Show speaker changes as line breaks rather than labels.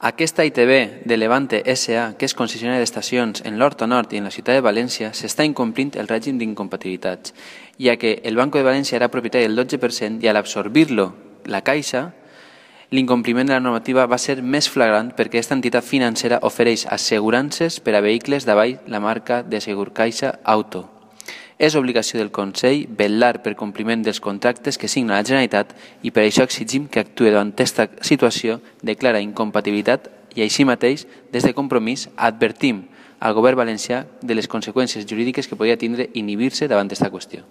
Aquesta ITV de Levante S.A., que és concessionària d'estacions en l'Horta Nord i en la ciutat de València, s'està incomplint el règim d'incompatibilitats, ja que el Banco de València era propietari del 12% i a l'absorbir-lo la Caixa, l'incompliment de la normativa va ser més flagrant perquè aquesta entitat financera ofereix assegurances per a vehicles davall la marca de Segurcaixa Auto. És obligació del Consell vetllar per compliment dels contractes que signa la Generalitat i per això exigim que actuï davant aquesta situació de clara incompatibilitat i així mateix, des de Compromís, advertim al govern valencià de les conseqüències jurídiques que podria tindre inhibir-se davant d'aquesta qüestió.